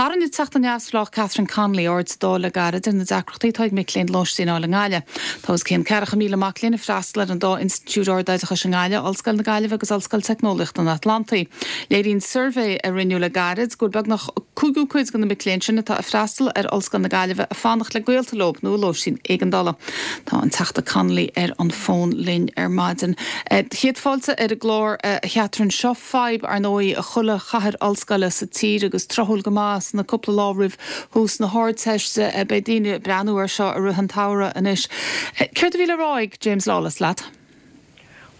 Tharraing an Teachta Neamhspleách Catherine Connolly aird sa Dáil le gairid ar na deacrachtaí atá ag mic léinn lóistín a fháil i nGaillimh. Tá os cionn 40,000 mac léinn ag freastal ar an dá institiúid ardoideachais i nGaillimh, Ollscoil na Gaillimhe agus Ollscoil Teicneolaíochta an Atlantaigh. Léiríonn suirbhé a rinneadh le gairid go bhfuil beagnach cúigiú cuid de na mic léinn sin atá ag freastal ar Ollscoil na Gaillimhe ag fanacht le gaolta leo nó i lóistín éigeandála. Tá an Teachta Connolly ar an bhfón linn ar maidin. Céad fáilte ar an gclár, a Chatherine. Seo fadhb, ar ndóigh, i chuile chathair ollscoile sa tír agus tráthúil go maith sna cúpla lá roimh thús na hArdteiste. Beidh daoine ag breathnú air seo i rith an tsamhraidh anois. Céard a bhí le rá ag James Lawless leat?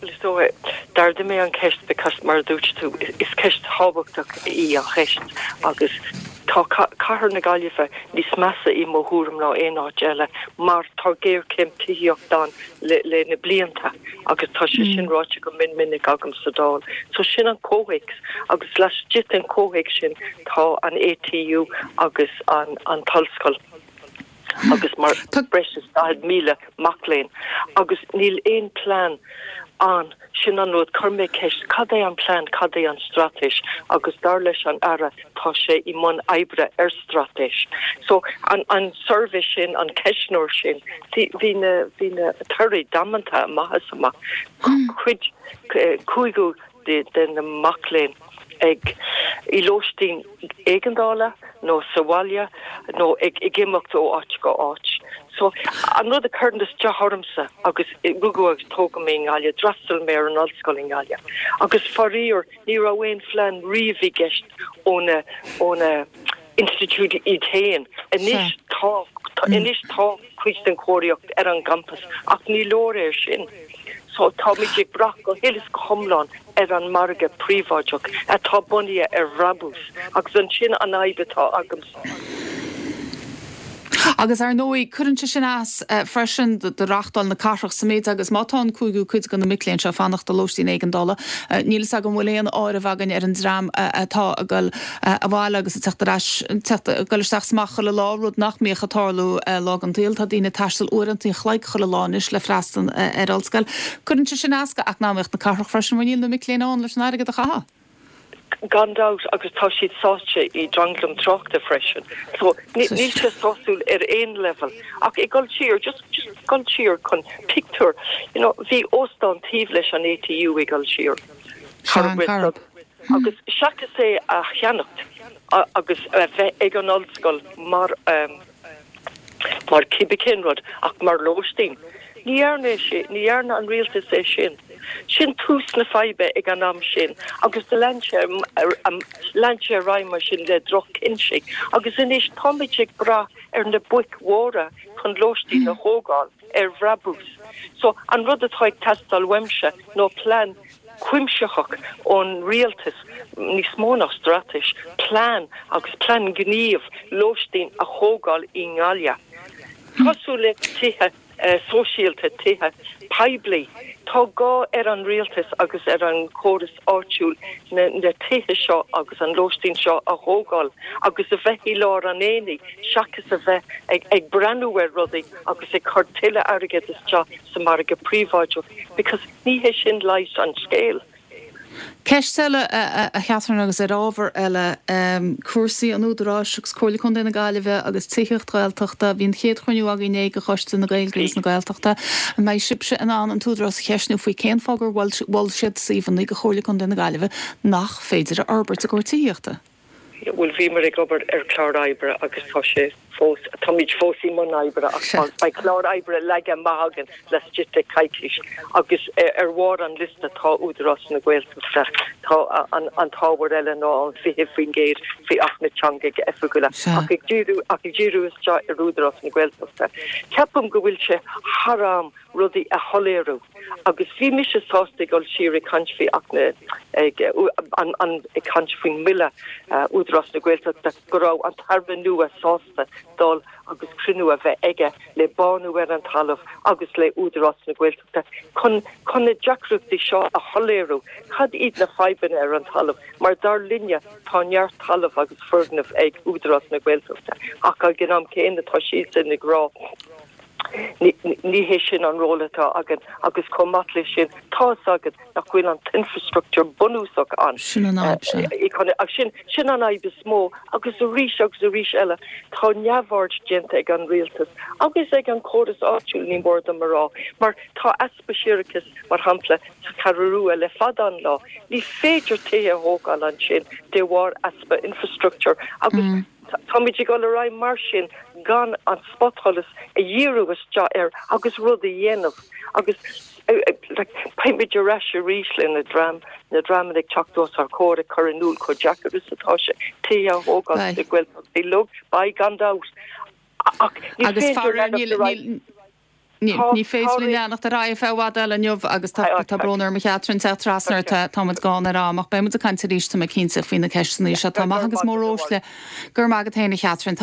Bhuel, is dóigh, d'ardaigh mé an cheist because, mar a dúirt tú, is ceist thábhachtach í an cheist agus tá cathair na Gaillimhe níos measa i mo thuairim ná aon áit eile mar tá géarchéim tithíochta ann le le na blianta agus tá sé sin ráite go mion minic agam sa Dáil. So sin an comhthéacs agus laistigh den chomhthéacs sin tá an ATU agus an an t-ollscoil. agus mar breis is 40,000 mac léinn agus níl aon plean ann. Sin an rud, chuir mé ceist, cad é an plean, cad é an straitéis agus dar leis an Aire tá sé i mbun oibre ar straitéis. So an an suirbhé sin, an ceistneoir sin, bhí na bhí na torthaí damanta amach is amach. Cuid cúigiú de na mac léinn ag i lóistín éigeandála nó sa bhaile nó ag ag imeacht ó áit go áit. So an rud a chuireann isteach ormsa agus rugadh agus tógadh mé i nGaillimh, d'fhreastail mé ar an ollscoil i nGaillimh agus faraor ní raibh aon phlean riamh i gceist ó na ó na institiúidí iad féin. Anois tá anois tá cuid den chóiríocht ar an gcampas ach ní leor é sin. So táimid ag brath go huile is go hiomlán ar an margadh príobháideach atá bunaithe ar bhrabús agus ansin an fhadhb atá agamsa. Agus ar ndóigh, cuireann sé sin as freisin do reachtáil na cathrach sa méid agus má tá an cúigiú cuid de na mic léinn seo ag fanacht i lóistín éigeandála, níl fhios agam an bhfuil aon áireamh againn ar an dream atá ag dul abhaile agus ag teacht ar ais, teacht, ag dul isteach is amach chuile lá, rud nach mbíodh ag tarlú lá den tsaol. Tá daoine ag taisteal uaireanta an chloig chuile lá anois le freastal ar ollscoil. Cuireann sé sin as do eacnamaíocht na cathrach freisin mar níl na mic léinn ann leis an airgead a chaitheamh. Gan dabht, agus tá siad sáite i dtranglam tráchta freisin. So, níl sé sásúil ar aon leibhéal. Ach ag dul siar, just, just dul siar chun pictiúr, you know, bhí óstán taobh leis an ATU ag dul siar. Sea, an Corrib. Agus seachas é a cheannacht agus a bheith ag an ollscoil mar mar cibé cén rud ach mar lóistín, ní dhearna é sin, ní dhearna an rialtas é sin. Sin tús na faidhbe ag an am sin agus do lean sé lean sé ar aghaidh mar sin le droch-chinntí agus anois táimid ag brath ar na boic mhóra chun lóistín a thógáil ar bhrabús. So an rud atá ag teastáil uaimse ná plean cuimsitheach ón rialtas, níos mó ná straitéis, plean agus plean gníomh lóistín a thógáil i nGaillimh. Cosúil le tithe sóisialta, tithe poiblí. Tá gá ar an rialtas agus ar an chóras áitiúil na tithe seo agus an lóistín seo a thógáil agus a bheith i lár an aonaigh seachas a bheith ag breathnú ar rudaí agus ag cur tuilleadh airgead isteach sa margadh príobháideach because Ní hé sin leigheas an scéil. Ceist eile, a Chatherine, agus ar ábhar eile, cúrsaí an Údaráis agus Comhairle Contae na Gaillimhe agus tithíocht Ghaeltachta. Bhí an chéad chruinniú againn inné de Choiste na Gaeilge agus na Gaeltachta. An mbeidh sibhse in ann an tÚdarás a cheistniú faoi cén fáth gur mhol siad suíomhanna do Chomhairle Contae na Gaillimhe nach féidir a fhorbairt i gcomhair tithíochta? Bhuel, bhíomar ag obair ar chlár oibre agus tá sé fós, táimid fós i mbun oibre ach beidh clár oibre leagtha amach againn laistigh de choicís agus ar bharr an liosta tá Údarás na Gaeltachta, tá an t-ábhar eile ná an 20% faoi Acht na dTeangacha Oifigiúla ach ag díriú, ach ag díriú isteach ar Údarás na Gaeltachta. Ceapaim go bhfuil sé thar am rudaí a shoiléiriú agus bhí mise sásta ag dul siar ag caint faoi Acht na, ag an, an, ag caint faoin mBille Údarás na Gaeltachta go raibh an tAire nua sásta dul agus cruinniú a bheith aige le Bánú ar an Talamh agus le Údarás na Gaeltachta chun, chun na deacrachtaí seo a shoiléiriú, cad iad na fadhbanna ar an talamh mar dar linne tá neart talamh agus foirgneamh ag Údarás na Gaeltachta ach ag an am céanna tá siadsan ag rá. Ní hé sin an ról atá againn agus chomh maith leis sin, tá fhios agat nach bhfuil an t-infrastructúr bunúsach ann. Sin an fhadhb, sea. Ach sin, sin an fhadhb is mó agus arís agus arís eile tá neamhaird déanta ag an rialtas agus ag an chóras áitiúil, ní mór dom a rá, mar tá easpa séarachais, mar shampla, sa Cheathrú Rua le fada an lá. Ní féidir tithe a thógáil ansin de bharr easpa infrastructúir agus táimid ag dul ar aghaidh mar sin gan an spotsholas a dhíriú isteach air agus rud a dhéanamh agus beimid ar ais arís le na dream, na dreamanna ag teacht os ár gcomhair ag cur in iúl chomh deacair is atá sé tithe a thógáil sa Ghaeltacht uilig, beidh gan dabht ach ní féidir leanacht ar aghaidh. Ní féidir linn leanacht ar aghaidh feadh i bhfad eile inniu agus tá brón orm a Chatherine teacht trasna ort, tá muid gann ar am ach beidh muid ag caint arís tá mé cinnte faoi na ceisteanna seo. Tá maith agus móruaisle. Go raibh maith agat féin a Chatherine.